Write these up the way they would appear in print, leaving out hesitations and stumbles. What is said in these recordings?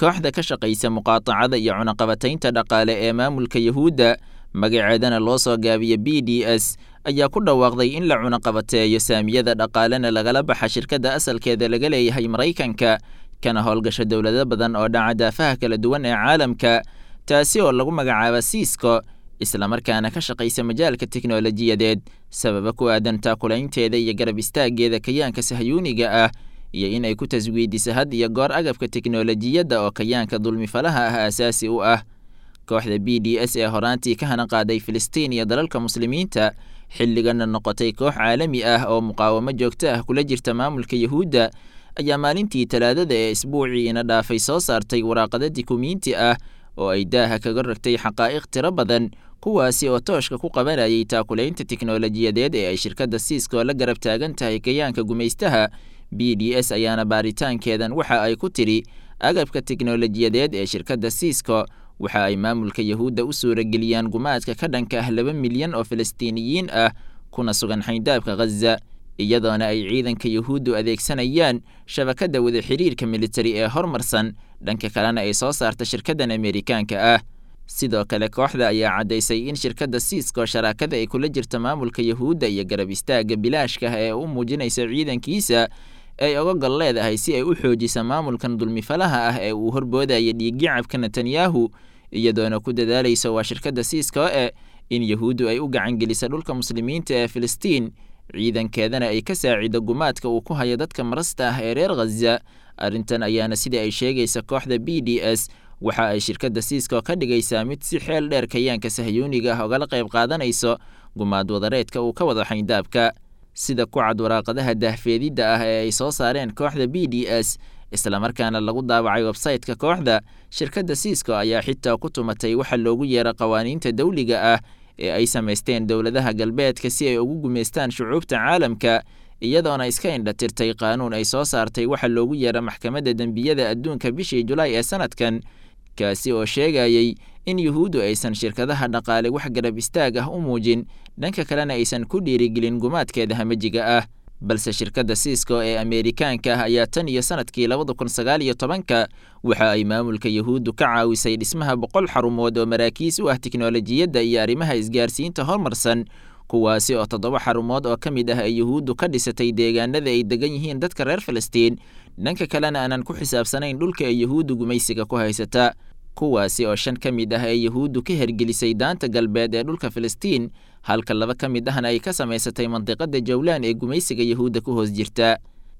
Kooxda ka shaqaysa muqaatacada iyo cunaqabataynta dhaqaale ee maamulka Yahuudda, magaceedana loo soo gaabiya BDS, ayaa ku dhawaaqday in la cunaqabateeyo saamiyada dhaqaalena lagala baxa shirkadda asalkeeda laga leeyahay Maraykanka, kana howlgasha dowlado badan oo dhaca daafaha kala duwan ee caalamka, taasi oo lagu magacaaba Cisco, islamarkaana ka shaqaysa majaalka tiknolojiyadeed, sababa ku aadan taakulaynteeda iyo garab istaaggeeda kayaanka sahyuuniga ah, iyo in ay ku taswiidiso had iyo goor agabka tiknolojiyadda oo kayaanka dulmifalaha ah aasaasi u ah. Kooxda BDS ee horaantii ka hana qaaday Filistiin iyo dalalka muslimiinta, xilligana noqotay koox caalami ah oo muqaawamo joogto ah kula jirta maamulka Yahuudda, ayaa maalintii Talaadada ee isbuucii ina dhaafay soo saartay waraaqado dikumiinti ah oo ay daaha kaga rogtay xaqaa'iq tiro badan, kuwaasi oo tooshka ku qabanayay taakulaynta tiknolojiyadeed ee ay shirkadda Cisco la garab taagan tahay kayaanka gumaystaha. BDS ayaana baaritaankeedan waxa ay ku tidhi agabka tiknolojiyadeed ee shirkadda Cisco waxa ay maamulka Yahuudda u suurageliyaan gumaadka ka dhanka ah 2 milyan oo Falastiiniyiin ah kuna sugan xayndaabka Ghaza, iyadoona ay ciidanka Yahuuddu adeegsanayaan shabakadda wada xiriirka militari ee hormarsan, dhanka kalena ay soo saarta shirkaddan Ameerikaanka ah. Sidoo kale kooxda ayaa caddaysay in shirkadda Cisco sharaakada ay kula jirta maamulka Yahuudda iyo garab istaagga bilaashka ah ee u muujinaysa ciidankiisa ay oga gol leedahay si ay u xoojisa maamulkan dulmifalaha ah ee uu horboodaya dhiiggacabka Netanyahu, iyadoona ku dadaalaysa waa shirkadda Cisco e in Yahuuddu ay u gacangelisa dhulka muslimiinta ee Filistiin, ciidankeedana ay ka saacido gumaadka uu ku hayo dadka marasta ah ee reer Ghaza. Arrintan ayaana sida ay sheegaysa kooxda BDS waxa ay shirkadda Cisco ka dhigaysaa mid si xeel dheer kayaanka sahyuuniga ah ogala qayb qaadanayso gumaad wadareedka uu ka wado xayndaabka. Sida ku cad waraaqadaha daahfeedidda ah ee ay soo saareen kooxda BDS, islamarkaana lagu daabacay websayte-ka kooxda, shirkadda Cisco ayaa xitaa ku tumatay waxa loogu yeero qawaaniinta dawliga ah ee ay samaysteen dowladaha galbeedka si ay ugu gumaystaan shucuubta caalamka, iyadoona iska indhatirtay qaanuun ay soo saartay waxa loogu yeero maxkamadda dembiyada adduunka bishii Julaay ee sanadkan, kaasi oo sheegayay in Yuhuuddu aysan shirkadaha dhaqaale wax garab istaag ah u muujin, dhanka kalena aysan ku dhiirigelin gumaadkeeda hamajiga ah. Balse shirkadda Cisco ee Ameerikaanka ah ayaa tan iyo sanadkii 2019-ka waxa ay maamulka Yahuuddu ka caawisay dhismaha 100 xarumood oo maraakiis u ah tiknolojiyadda iyo arrimaha isgaarsiinta horumarsan, kuwaasi oo 7 xarumood oo ka mid ah ay Yahuuddu ka dhisatay deegaanada ay degan yihiin dadka reer Filistiin, dhanka kalena aanan ku xisaabsanayn dhulka ay Yahuuddu gumaysiga ku haysata, kuwaasi oo 5 ka mid ah ay Yahuuddu ka hergelisay daanta galbeed ee dhulka Filistiin, halka 2 ka mid ahna ay ka samaysatay mandiqada Jawlaan ee gumaysiga Yahuudda ku hoos jirta.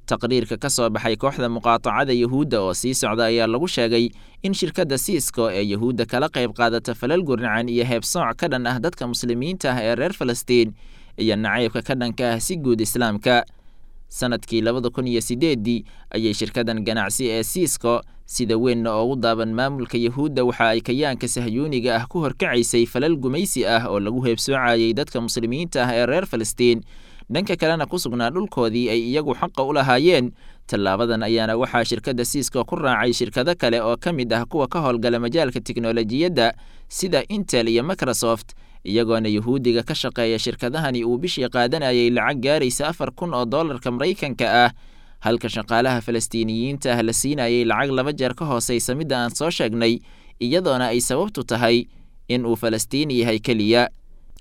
Taqriirka ka soo baxay kooxda muqaatacada Yahuudda oo sii socda ayaa lagu sheegay in shirkadda Cisco ee Yahuudda kala qayb qaadata falal gurnacan iyo heebsooc ka dhan ah dadka muslimiinta ah ee reer Falastiin iyo nacaybka ka dhanka ah si guud islaamka. Sanadkii 2008-dii ayay shirkaddan ganacsi ee Cisco sida weynna oogu daaban maamulka Yahuudda waxa ay kayaanka sahyuuniga ah ku horkacaysay falal gumaysi ah oo lagu heebsoocayay dadka muslimiinta ah ee reer Falastiin, dhanka kalena ku sugnaa dhulkoodii ay iyagu xaqa u lahaayeen. Tallaabadan ayaana waxaa shirkadda Cisco ku raacay shirkado kale oo ka mid ah kuwa ka howlgala majaalka tiknolojiyadda sida Intel iyo Microsoft, iyagoona Yahuudiga ka shaqeeya shirkadahani uu bishii qaadanayay lacag gaaraysa 4000 oo doolarka Maraykanka ah, halka shaqaalaha Falastiiniyiinta ah la siinayay lacag 2 jeer ka hooseysa midda aan soo sheegnay, iyadoona ay sababtu tahay in uu Falastiini yahay keliya.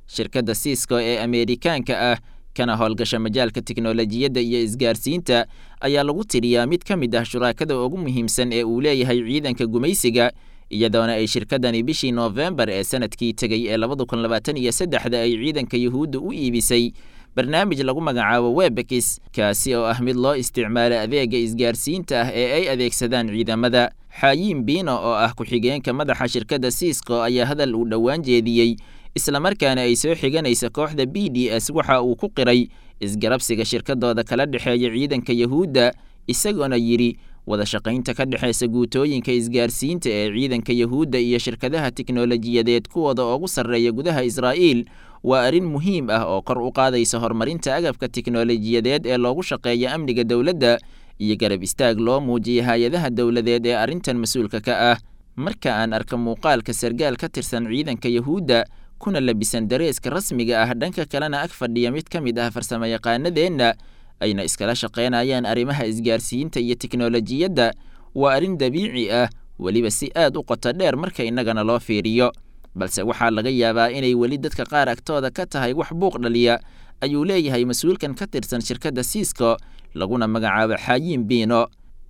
Shirkadda Cisco ee Ameerikaanka ah kana howlgasha majaalka tiknolojiyadda iyo isgaarsiinta ayaa lagu tiriyaa mid ka mid ah shuraakada ugu muhiimsan ee uu leeyahay ciidanka gumaysiga, iyadoona ay shirkaddani bishii Noofembar ee sanadkii tegey ee 2023-da ay ciidanka Yahuudda u iibisay barnaamij lagu magacaabo Webex, kaasi oo ah mid loo isticmaalo adeega isgaarsiinta ah ee ay adeegsadaan ciidamada. Xaayiin Bino oo ah ku-xigeenka madaxa shirkadda Cisco ayaa hadal uu dhowaan jeediyey, islamarkaana ay soo xiganaysa kooxda BDS, waxa uu ku qiray isgarabsiga shirkadooda kala dhexeeya ciidanka Yahuudda, isagoona yidhi: wada shaqaynta ka dhexeysa guutooyinka isgaarsiinta ee ciidanka Yahuudda iyo shirkadaha tiknolojiyadeed kuwooda ugu sarreeya gudaha Israa'iil waa arrin muhiim ah oo kor u qaadaysa horumarinta agabka tiknolojiyadeed ee loogu shaqeeya amniga dowladda iyo garab istaag loo muujiya hay-adaha dowladeed ee arrintan mas-uulka ka ah. Marka aan arka muuqaalka sargaal ka tirsan ciidanka Yahuudda kuna labisan dareeska rasmiga ah, dhanka kalena ag fadhiya mid ka mid ah farsamayaqaanadeenna, ayna iskala shaqaynayaan arrimaha isgaarsiinta iyo tiknolojiyadda, waa arrin dabiici ah. Weliba si aad u qoto dheer marka innagana loo fiiriyo, balse waxaa laga yaabaa inay weli dadka qaar agtooda ka tahay wax buuq dhaliya, ayuu leeyahay mas-uulkan ka tirsan shirkadda Cisco laguna magacaabo Xaayiin Biino.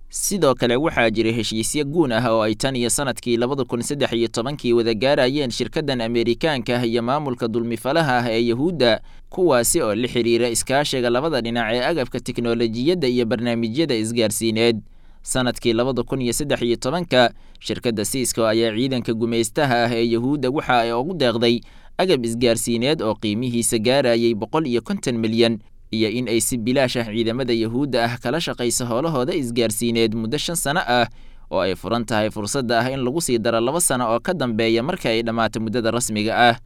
Sidoo kale waxaa jira heshiisyo guun ah oo ay tan iyo sanadkii 2013kii wada gaarayeen shirkaddan Ameerikaanka ah iyo maamulka dulmifalaha ah ee Yahuudda, kuwaasi oo la xiriira iskaashiga labada dhinac ee agabka tiknoolajiyadda iyo barnaamijyada isgaarsiineed. Sanadkii 2013ka shirkadda Cisco ayaa ciidanka gumaystaha ah ee Yahuudda waxa ay ugu deeqday agab isgaarsiineed oo qiimihiisa gaarayay 150 milyan, iyo in ay si bilaash ah ciidamada Yahuudda ah kala shaqayso howlahooda isgaarsiineed muddo 5 sano ah, oo ay furan tahay fursadda ah in lagu sii daro 2 sano oo ka dambeeya marka ay dhammaato muddada rasmiga ah.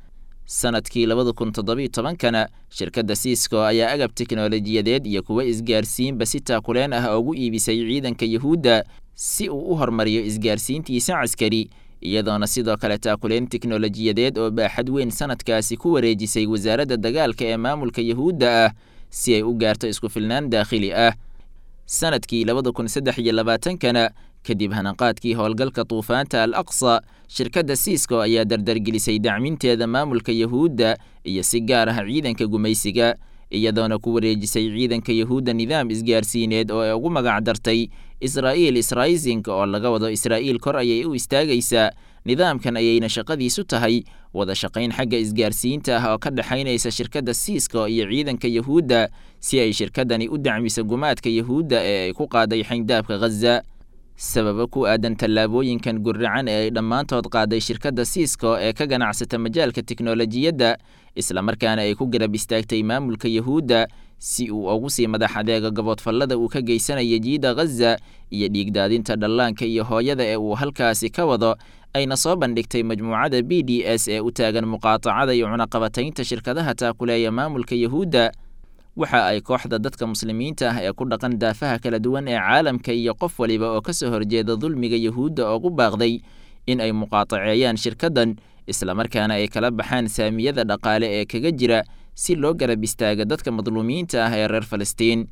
Sanadkii 2017kana shirkadda Cisco ayaa agab tiknoolajiyadeed iyo kuwo isgaarsiinba si taakuleen ah ugu iibisay ciidanka Yahuudda si uu u horumariyo isgaarsiintiisa caskari, iyadoona sidoo kale taakuleen tiknoolajiyadeed oo baaxad weyn sanadkaasi ku wareejisay wasaaradda dagaalka ee maamulka Yahuudda ah si ay u gaarto isku filnaan daakhili ah. Sanadkii 2023kana, kadib hanaqaadkii howlgalka Duufaanta Al Aqsa, shirkadda Cisco ayaa dardargelisay dacminteeda maamulka Yahuudda iyo si gaar ah ciidanka gumaysiga, iyadoona ku wareejisay ciidanka Yahuudda nidaam isgaarsiineed oo ay ugu magac dartay Israa'iil Israising, oo laga wado Israa'iil kor ayay u istaagaysaa. Nidaamkan ayayna shaqadiisu tahay wada shaqayn xagga isgaarsiinta ah oo ka dhexaynaysa shirkadda Cisco iyo ciidanka Yahuudda, si ay shirkaddani u dacmiso gumaadka Yahuudda ee ay ku qaaday xayndaabka Ghaza. Sababo ku aadan tallaabooyinkan gurracan ee ay dhammaantood qaaday shirkadda Cisco ee ka ganacsata majaalka tiknoolajiyadda, islamarkaana ay ku garab istaagtay maamulka Yahuudda si uu ugu sii madax adeego gaboodfallada uu ka geysanaya jiida Ghaza iyo dhiigdaadinta dhallaanka iyo hooyada ee uu halkaasi ka wado, ayna soo bandhigtay majmuucada BDS ee u taagan muqaatacada iyo cunaqabataynta shirkadaha taakuleeya maamulka Yahuudda, waxa ay kooxda dadka muslimiinta ah ee ku dhaqan daafaha kala duwan ee caalamka iyo qof waliba oo kasoo horjeeda dulmiga Yahuudda ugu baaqday in ay muqaataceeyaan shirkaddan, islamarkaana ay kala baxaan saamiyada dhaqaale ee kaga jira, si loo garab istaaga dadka madluumiinta ah ee reer Falastiin.